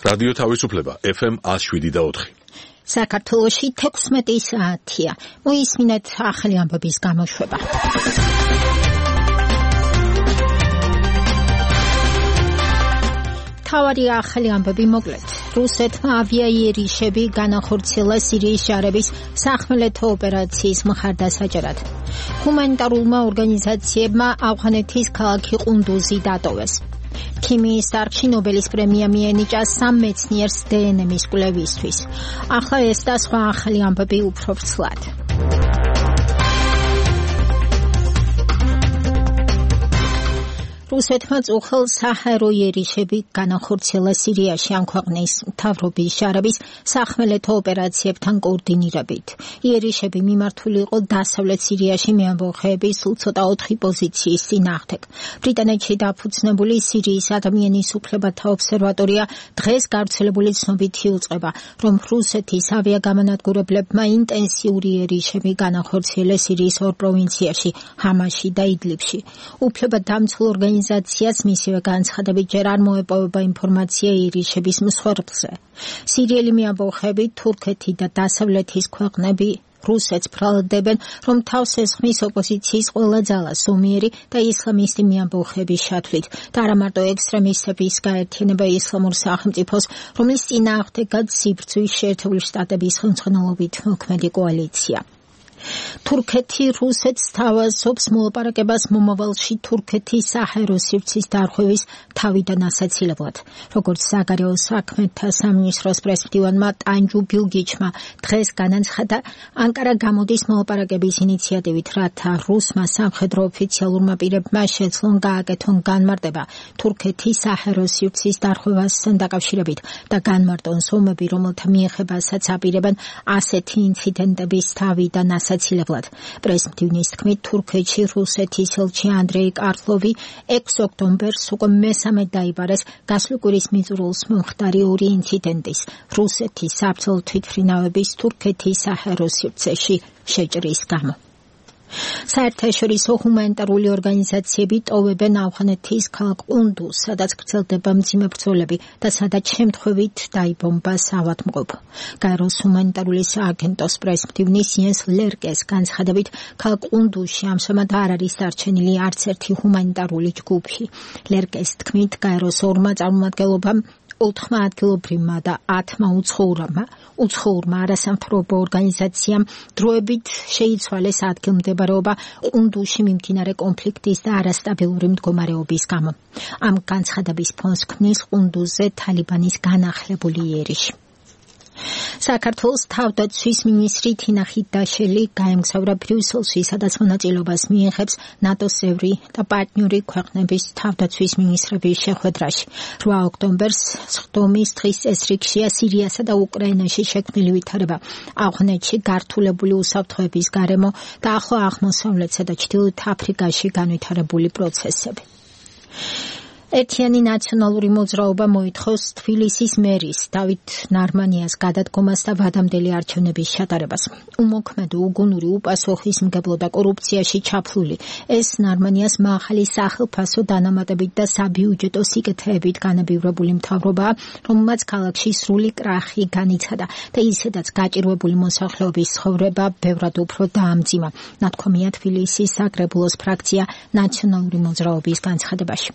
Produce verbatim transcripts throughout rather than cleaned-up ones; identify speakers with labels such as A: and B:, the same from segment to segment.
A: რადიო თავისუფლება ეფ ემ one oh seven და four.
B: საქართველოში თექვსმეტი საათია. მოისმინეთ ახალი ამბების გამოშვება. თავარი ახალი ამბები მოკლედ. რუსეთმა ავიაიერიშები განახორციელა სირიის ჯარების სახმელეთო ოპერაციის მხარდასაჭერად. ჰუმანიტარულმა ორგანიზაციებმა ავღანეთის ქალაქი ყუნდუზი დატოვეს. ქიმიის დარგში ნობელის პრემია მიენიჭა სამ მეცნიერს დე ენ ემის კვლევისთვის. ახლა ეს და სხვა ახალი ამბები უფრო ვრცლად. რუსეთმა წუხელ საჰაერო იერიშები განახორციელა სირიაში ამ ქვეყნის მთავრობის ჯარების სახმელეთო ოპერაციებთან კოორდინირებით. იერიშები მიმართული იყო დასავლეთ სირიაში მეამბოხეების სულ ცოტა ოთხი პოზიციის წინააღმდეგ. ბრიტანეთში დაფუძნებული სირიის ადამიანის უფლებათა ობსერვატორია დღეს გავრცელებული ცნობით იუწყება, რომ რუსეთის ავიაგამანადგურებლებმა ინტენსიური იერიშები განახორციელეს სირიის ორ პროვინციაში, ჰამაში და იდლიბში. უფლებადამცველ ორგანიზაციას მისივე განცხადებით ჯერ არ მოეპოვება ინფორმაცია იერიშების მსხვერპლზე. სირიელი მეამბოხეები, თურქეთი და დასავლეთის ქვეყნები რუსეთს ბრალდებენ, რომ თავს ესხმის ოპოზიციის ყველა ძალა სულიერი და ისლამისტი მეამბოხეების შათვლით და არა მარტო ექსტრემისტების გაერთიანება ისლამურ სახელმწიფოს, რომლის წინააღმდეგაც სიბრძვის შეერთებული შტატების ხელმძღვანელობით მოქმედი კოალიცია. თურქეთი რუსეთს თავაზობს მოლაპარაკებას მომავალში თურქეთის საჰაერო სივრცის დარღვევის თავიდან ასაცილებლად. როგორც საგარეო საქმეთა სამინისტროს პრესმდივანმა ტანჯუ ბილგიჩმა დღეს განაცხადა, ანკარა გამოდის მოლაპარაკების ინიციატივით, რათა რუსმა სამხედრო ოფიციალურმა პირებმა შეძლონ გააკეთონ განმარტება თურქეთის საჰაერო სივრცის დარღვევასთან დაკავშირებით და განმარტონ ზომები, რომელთა მიეხებასაც აპირებენ ასეთი ინციდენტების თავიდან ასაცილებლად. პრესმდივნის თქმით, თურქეთში რუსეთის ელჩი ანდრეი კარლოვი ექვსი ოქტომბერს უკვე მესამედ დაიბარეს გასული კვირის მიწურულს მომხდარი ორი ინციდენტის რუსეთის საბრძოლო თვითმფრინავების თურქეთის საჰაერო სივრცეში შეჭრის გამო. საერთაშორისო ჰუმანიტარული ორგანიზაციები ტოვებენ ავღანეთის ქალაქ ყუნდუზს, სადაც გრძელდება მძიმე ბრძოლები და სადაც შემთხვევით დაიბომბა საავადმყოფო. გაეროს ჰუმანიტარული სააგენტოს პრესმდივნის იენს ლერკეს განცხადებით, ქალაქ ყუნდუზში ამჟამად არ არის დარჩენილი არც ერთი ჰუმანიტარული ჯგუფი. ლერკეს თქმით, გაეროს ორმა წარმომადგენლობამ ოთხმა ადგილობრივმა და ათმა უცხოურმა უცხოურმა არასამთავრობო ორგანიზაციამ დროებით შეიცვალეს ადგილმდებარეობა ყუნდუზში მიმდინარე კონფლიქტის და არასტაბილური მდგომარეობის გამო. ამ განცხადების ფონს ქმნის ყუნდუზზე თალიბანის განახლებული იერიში. საქართველოს თავდაცვის მინისტრი თინა ხიდაშელი გაემგზავრა ბრიუსელში, სადაც მონაწილეობას მიიღებს ნატოს წევრი და პარტნიორი ქვეყნების თავდაცვის მინისტრების შეხვედრაში. რვა ოქტომბერს სხდომის დღის წესრიგშია სირიასა და უკრაინაში შექმნილი ვითარება, ავღანეთში გართულებული უსაფრთხოების გარემო და ახლო აღმოსავლეთსა და ჩრდილოეთ აფრიკაში განვითარებული პროცესები. ერთიანი ნაციონალური მოძრაობა მოითხოვს თბილისის მერის დავით ნარმანიას გადადგომას და ვადამდელი არჩევნების ჩატარებას. უმოქმედო, უგუნური, უპასუხისმგებლო და კორუფციაში ჩაფლული ეს ნარმანიას მაღალი სახელფასო დანამატებით და საბიუჯეტო სიკეთეებით განებივრებული მთავრობაა, რომელმაც ქალაქში სრული კრახი განიცადა და ისედაც გაჭირვებული მოსახლეობის ცხოვრება ბევრად უფრო დაამძიმა. ნათქვამია თბილისის საკრებულოს ფრაქცია ნაციონალური მოძრაობის განცხადებაში.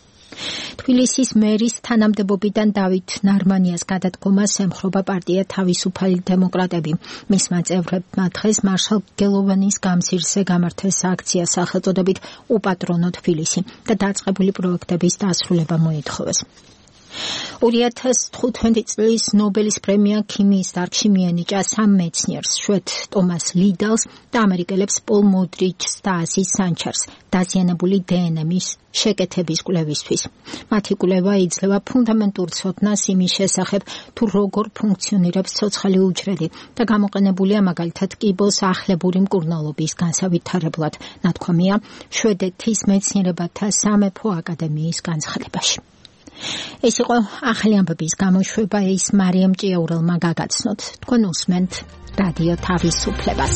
B: თბილისის მერის თანამდებობიდან დავით ნარმანიას გადადგომას ემხრობა პარტია თავისუფალი დემოკრატები. მისმა წევრებმა დღეს მარშალ გელოვანის გამზირზე გამართეს აქცია სახელწოდებით უპატრონო თბილისი და დაწყებული პროექტების დასრულება მოითხოვეს. ორი ათას თხუთმეტი წლის ნობელის პრემია ქიმიის დარგში მიენიჭა სამ მეცნიერს, შვედ ტომას ლიდალს და ამერიკელებს პოლ მოდრიჩს და აზიზ სანჩარს დაზიანებული დე ენ ემის შეკეთების კვლევისთვის. მათი კვლევა იძლევა ფუნდამენტურ ცოდნას იმის შესახებ, თუ როგორ ფუნქციონირებს ცოცხალი უჯრედი და გამოყენებულია მაგალითად კიბოს ახლებური მკურნალობის განსავითარებლად, ნათქვამია შვედეთის მეცნიერებათა სამეფო აკადემიის განცხადებაში. ეს იყო ახალი ამბების გამოშვება, ის მარიამ ჭიაურელმა გაგაცნოთ. თქვენ უსმენთ რადიო თავისუფლებას.